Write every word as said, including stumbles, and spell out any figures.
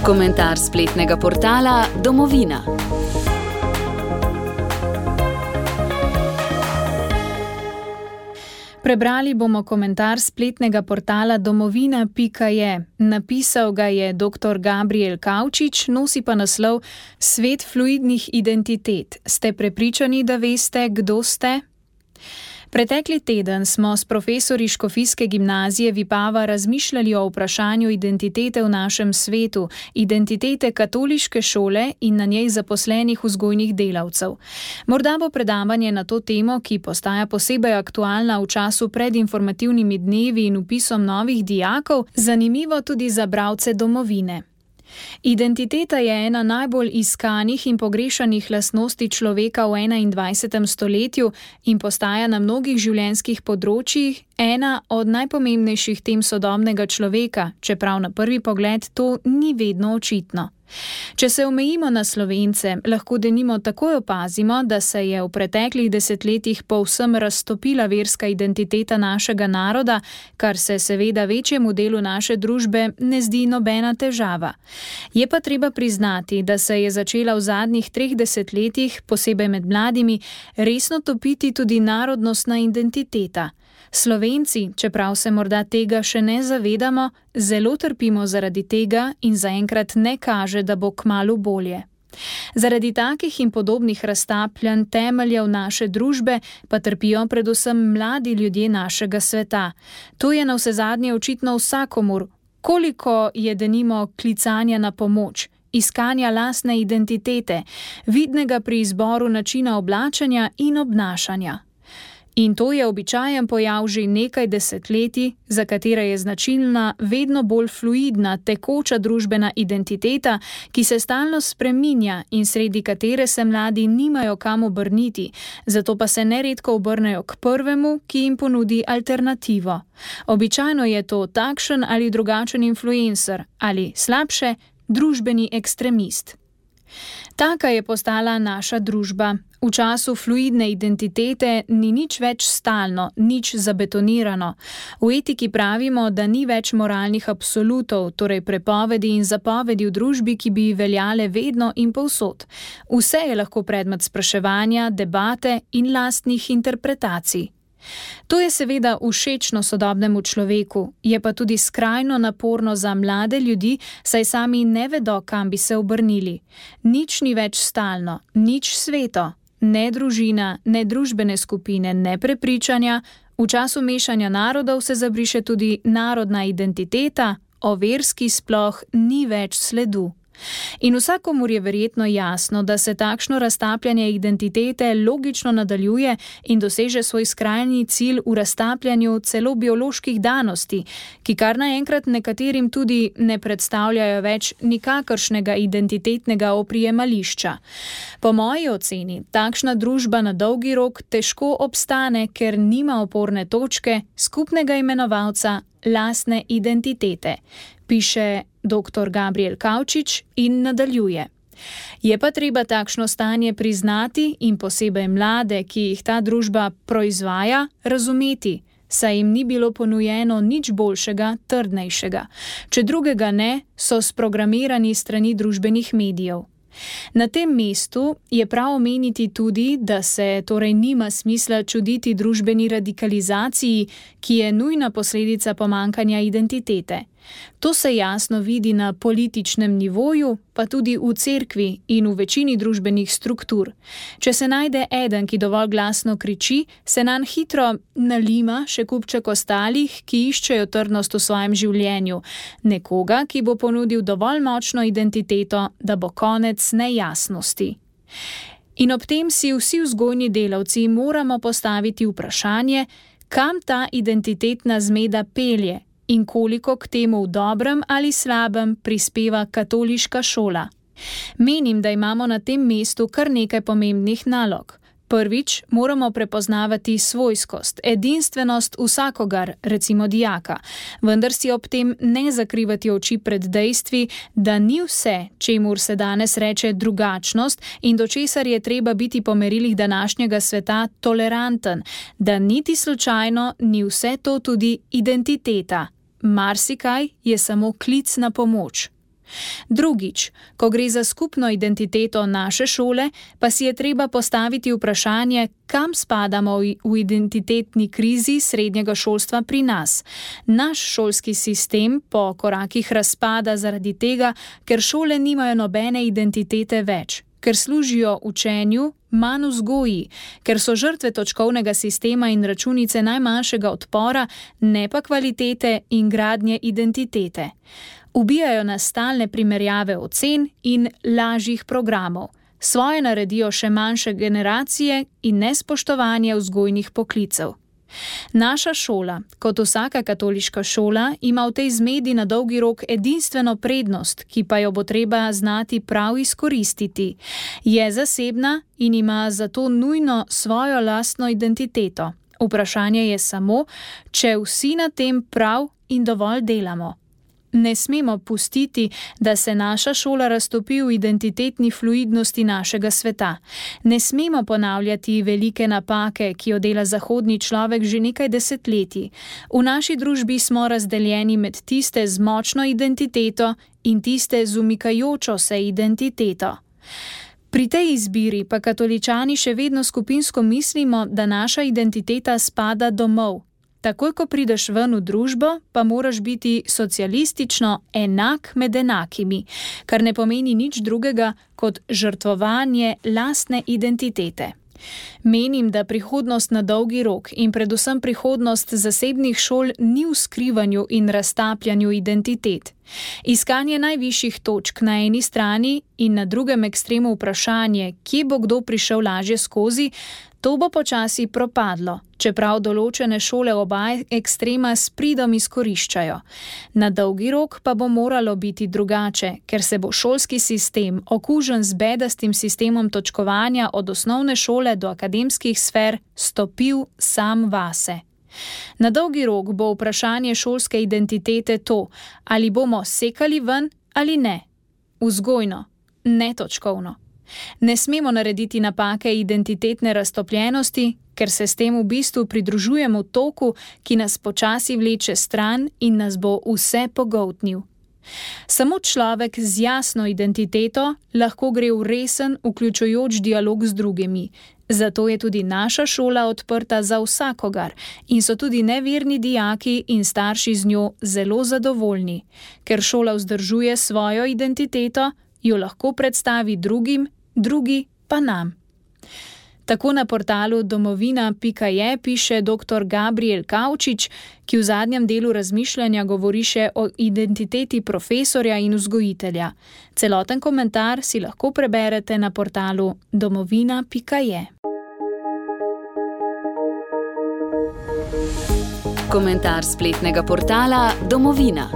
Komentar spletnega portala Domovina. Prebrali bomo komentar spletnega portala domovina pika je. Napisal ga je doktor Gabriel Kavčič, nosi pa naslov Svet fluidnih identitet. Ste prepričani, da veste, kdo ste? Pretekli teden smo s profesorji Škofijske gimnazije Vipava razmišljali o vprašanju identitete v našem svetu, identitete katoliške šole in na njej zaposlenih vzgojnih delavcev. Morda bo predavanje na to temo, ki postaja posebej aktualna v času pred informativnimi dnevi in vpisom novih dijakov, zanimivo tudi za bralce domovine. Identiteta je ena najbolj iskanih in pogrešanih lastnosti človeka v enaindvajsetem stoletju in postaja na mnogih življenjskih področjih ena od najpomembnejših tem sodobnega človeka, čeprav na prvi pogled to ni vedno očitno. Če se omejimo na Slovence, lahko denimo takoj opazimo, da se je v preteklih desetletjih povsem raztopila verska identiteta našega naroda, kar se seveda večjemu delu naše družbe ne zdi nobena težava. Je pa treba priznati, da se je začela v zadnjih treh desetletjih, posebej med mladimi, resno topiti tudi narodnostna identiteta. Slovenci, čeprav se morda tega še ne zavedamo, zelo trpimo zaradi tega in zaenkrat ne kaže, da bo kmalu bolje. Zaradi takih in podobnih raztapljanj temeljev naše družbe pa trpijo predvsem mladi ljudje našega sveta. To je navsezadnje očitno vsakomur, koliko je denimo klicanja na pomoč, iskanja lastne identitete, vidnega pri izboru načina oblačenja in obnašanja. In to je običajen pojav že nekaj desetletij, za katere je značilna vedno bolj fluidna, tekoča družbena identiteta, ki se stalno spreminja in sredi katere se mladi nimajo kam obrniti, zato pa se neredko obrnejo k prvemu, ki jim ponudi alternativo. Običajno je to takšen ali drugačen influencer ali, slabše, družbeni ekstremist. Taka je postala naša družba. V času fluidne identitete ni nič več stalno, nič zabetonirano. V etiki pravimo, da ni več moralnih absolutov, torej prepovedi in zapovedi v družbi, ki bi veljale vedno in povsod. Vse je lahko predmet spraševanja, debate in lastnih interpretacij. To je seveda všečno sodobnemu človeku, je pa tudi skrajno naporno za mlade ljudi, saj sami ne vedo, kam bi se obrnili. Nič ni več stalno, nič sveto, ne družina, ne družbene skupine, ne prepričanja. V času mešanja narodov se zabriše tudi narodna identiteta, o verski sploh ni več sledu. In vsakomur je verjetno jasno, da se takšno raztapljanje identitete logično nadaljuje in doseže svoj skrajni cilj v raztapljanju celo bioloških danosti, ki kar naenkrat nekaterim tudi ne predstavljajo več nikakršnega identitetnega oprijemališča. Po moji oceni, takšna družba na dolgi rok težko obstane, ker nima oporne točke, skupnega imenovalca, lastne identitete, piše doktor Gabriel Kavčič in nadaljuje. Je pa treba takšno stanje priznati in posebej mlade, ki jih ta družba proizvaja, razumeti, saj jim ni bilo ponujeno nič boljšega, trdnejšega. Če drugega ne, so sprogramirani strani družbenih medijev. Na tem mestu je prav omeniti tudi, da se torej nima smisla čuditi družbeni radikalizaciji, ki je nujna posledica pomanjkanja identitete. To se jasno vidi na političnem nivoju, pa tudi v cerkvi in v večini družbenih struktur. Če se najde eden, ki dovolj glasno kriči, se nanj hitro nalima še kupček ostalih, ki iščejo trdnost v svojem življenju. Nekoga, ki bo ponudil dovolj močno identiteto, da bo konec nejasnosti. In ob tem si vsi vzgojni delavci moramo postaviti vprašanje, kam ta identitetna zmeda pelje in koliko k temu v dobrem ali slabem prispeva katoliška šola. Menim, da imamo na tem mestu kar nekaj pomembnih nalog. Prvič, moramo prepoznavati svojskost, edinstvenost vsakogar, recimo dijaka, vendar si ob tem ne zakrivati oči pred dejstvi, da ni vse, čemur se danes reče drugačnost in do česar je treba biti po merilih današnjega sveta toleranten, da niti slučajno ni vse to tudi identiteta. Marsikaj je samo klic na pomoč. Drugič, ko gre za skupno identiteto naše šole, pa si je treba postaviti vprašanje, kam spadamo v identitetni krizi srednjega šolstva pri nas. Naš šolski sistem po korakih razpada zaradi tega, ker šole nimajo nobene identitete več, ker služijo učenju, manj vzgoji, ker so žrtve točkovnega sistema in računice najmanjšega odpora, ne pa kvalitete in gradnje identitete. Ubijajo nas stalne primerjave ocen in lažjih programov. Svoje naredijo še manjše generacije in nespoštovanje vzgojnih poklicev. Naša šola, kot vsaka katoliška šola, ima v tej zmedi na dolgi rok edinstveno prednost, ki pa jo bo treba znati prav izkoristiti. Je zasebna in ima zato nujno svojo lastno identiteto. Vprašanje je samo, če vsi na tem prav in dovolj delamo. Ne smemo pustiti, da se naša šola raztopi v identitetni fluidnosti našega sveta. Ne smemo ponavljati velike napake, ki jo dela zahodni človek že nekaj desetletij. V naši družbi smo razdeljeni med tiste z močno identiteto in tiste z umikajočo se identiteto. Pri tej izbiri pa katoličani še vedno skupinsko mislimo, da naša identiteta spada domov. Takoj, ko prideš ven v družbo, pa moraš biti socialistično enak med enakimi, kar ne pomeni nič drugega kot žrtvovanje lastne identitete. Menim, da prihodnost na dolgi rok in predvsem prihodnost zasebnih šol ni v skrivanju in raztapljanju identitet. Iskanje najvišjih točk na eni strani in na drugem ekstremu vprašanje, kje bo kdo prišel lažje skozi, to bo počasi propadlo, čeprav določene šole oba ekstrema s pridom izkoriščajo. Na dolgi rok pa bo moralo biti drugače, ker se bo šolski sistem, okužen z bedastim sistemom točkovanja od osnovne šole do akademskih sfer, stopil sam vase. Na dolgi rok bo vprašanje šolske identitete to, ali bomo sekali ven ali ne. Vzgojno, ne točkovno. Ne smemo narediti napake identitetne raztopljenosti, ker se s tem v bistvu pridružujemo toku, ki nas počasi vleče stran in nas bo vse pogoltnil. Samo človek z jasno identiteto lahko gre v resen, vključujoč dialog z drugimi. Zato je tudi naša šola odprta za vsakogar in so tudi neverni dijaki in starši z njo zelo zadovoljni. Ker šola vzdržuje svojo identiteto, jo lahko predstavi drugim, drugi pa nam. Tako na portalu domovina pika je piše doktor Gabriel Kavčič, ki v zadnjem delu razmišljanja govori še o identiteti profesorja in vzgojitelja. Celoten komentar si lahko preberete na portalu domovina pika je. Komentar spletnega portala Domovina.